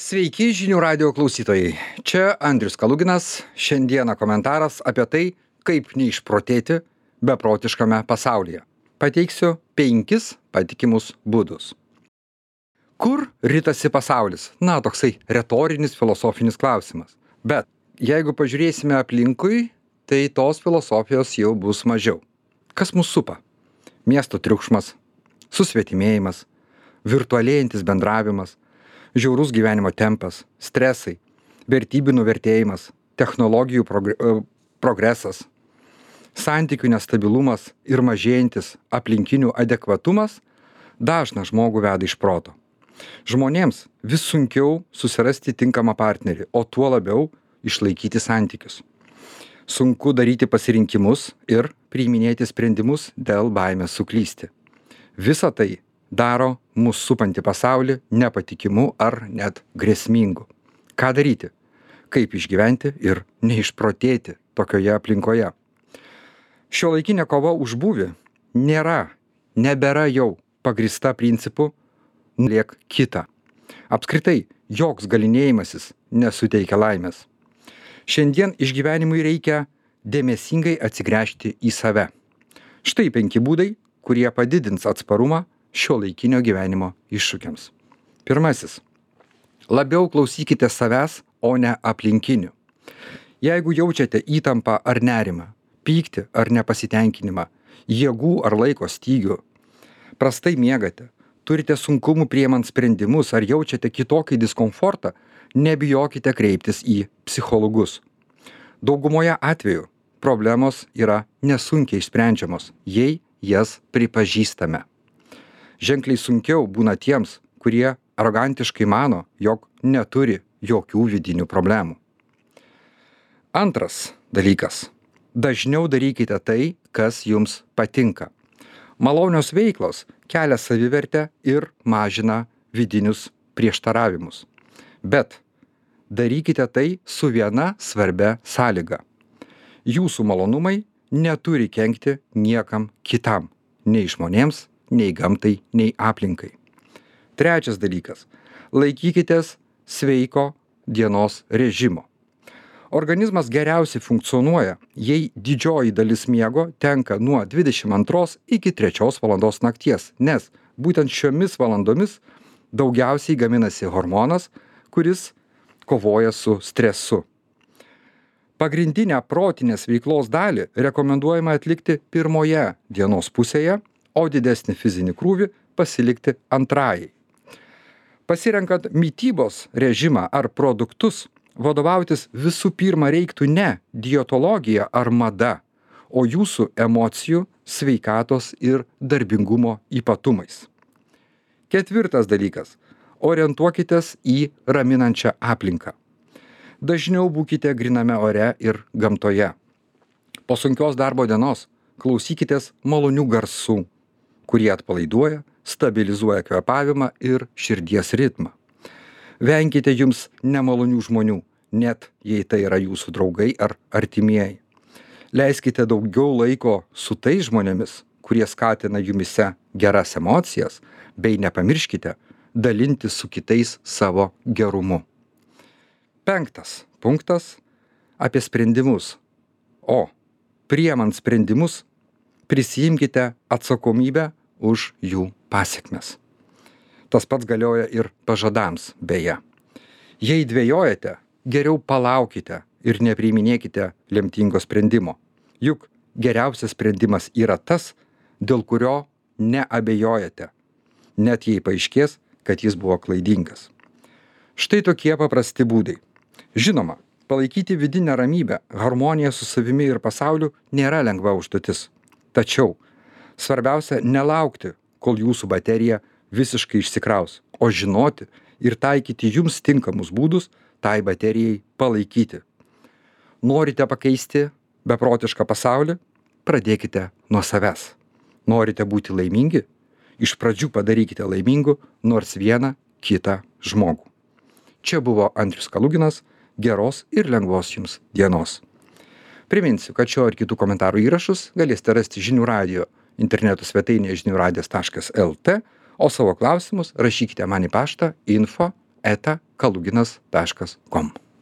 Sveiki žinių radio klausytojai. Čia Andrius Kaluginas. Šiandieną komentaras apie tai, kaip neišprotėti beprotiškame pasaulyje. Pateiksiu 5 patikimus būdus. Kur ritasi pasaulis? Na, toksai retorinis filosofinis klausimas. Bet jeigu pažiūrėsime aplinkui, tai tos filosofijos jau bus mažiau. Kas mus supa? Miesto triukšmas, susvetimėjimas, virtualėjantis bendravimas, žiaurus gyvenimo tempas, stresai, vertybių nuvertėjimas, technologijų progresas, santykių nestabilumas ir mažėjantis aplinkinių adekvatumas dažną žmogų veda iš proto. Žmonėms vis sunkiau susirasti tinkamą partnerį, o tuo labiau išlaikyti santykius. Sunku daryti pasirinkimus ir priiminėti sprendimus dėl baimės suklysti. Visa tai daro mus supantį pasaulį nepatikimu ar net grėsmingu. Ką daryti? Kaip išgyventi ir neišprotėti tokioje aplinkoje? Šiuolaikinė kova už būvį nebėra jau pagrįsta principu nuliek kitą. Apskritai, joks galynėjimasis nesuteikia laimės. Šiandien išgyvenimui reikia dėmesingai atsigręžti į save. Štai 5 būdai, kurie padidins atsparumą šiuolaikinio gyvenimo iššūkiams. Pirmasis. Labiau klausykite savęs, o ne aplinkinių. Jeigu jaučiate įtampą ar nerimą, pyktį ar nepasitenkinimą, jėgų ar laiko stygių, prastai miegate, turite sunkumų priimant sprendimus ar jaučiate kitokį diskomfortą, nebijokite kreiptis į psichologus. Daugumoje atvejų problemos yra nesunkiai išsprendžiamos, jei jas pripažįstame. Ženkliai sunkiau būna tiems, kurie arogantiškai mano, jog neturi jokių vidinių problemų. Antras dalykas. Dažniau darykite tai, kas jums patinka. Malonios veiklos kelia savivertę ir mažina vidinius prieštaravimus. Bet darykite tai su viena svarbia sąlyga. Jūsų malonumai neturi kenkti niekam kitam, nei žmonėms, nei gamtai, nei aplinkai. Trečias dalykas. Laikykitės sveiko dienos režimo. Organizmas geriausiai funkcionuoja, jei didžioji dalis miego tenka nuo 22 iki 3 valandos nakties, nes būtent šiomis valandomis daugiausiai gaminasi hormonas, kuris kovoja su stresu. Pagrindinę protinės veiklos dalį rekomenduojama atlikti pirmoje dienos pusėje, o didesnį fizinį krūvį pasilikti antrajai. Pasirenkant mitybos režimą ar produktus, vadovautis visų pirma reiktų ne dietologija ar mada, o jūsų emocijų, sveikatos ir darbingumo ypatumais. Ketvirtas dalykas. Orientuokitės į raminančią aplinką. Dažniau būkite gryname ore ir gamtoje. Po sunkios darbo dienos klausykitės malonių garsų, kurie atpalaiduoja, stabilizuoja kvėpavimą ir širdies ritmą. Venkite jums nemalonių žmonių, net jei tai yra jūsų draugai ar artimieji. Leiskite daugiau laiko su tais žmonėmis, kurie skatina jumise geras emocijas, bei nepamirškite dalintis su kitais savo gerumu. 5 punktas apie sprendimus. O priimant sprendimus, prisiimkite atsakomybę už jų pasekmes. Tas pats galioja ir pažadams beje. Jei dvejojate, geriau palaukite ir nepriiminėkite lemtingo sprendimo. Juk geriausias sprendimas yra tas, dėl kurio neabejojate, net jei paaiškės, kad jis buvo klaidingas. Štai tokie paprasti būdai. Žinoma, palaikyti vidinę ramybę, harmoniją su savimi ir pasauliu nėra lengva užduotis. Tačiau svarbiausia nelaukti, kol jūsų baterija visiškai išsikraus, o žinoti ir taikyti jums tinkamus būdus tai baterijai palaikyti. Norite pakeisti beprotišką pasaulį? Pradėkite nuo savęs. Norite būti laimingi? Iš pradžių padarykite laimingu nors vieną kitą žmogų. Čia buvo Andrius Kaluginas. Geros ir lengvos jums dienos. Priminsiu, kad šio ir kitų komentarų įrašus galėsite rasti Žinių radio interneto svetainėje žiniųradijas.lt, o savo klausimus rašykite man į paštą info@ eta kaluginas.com.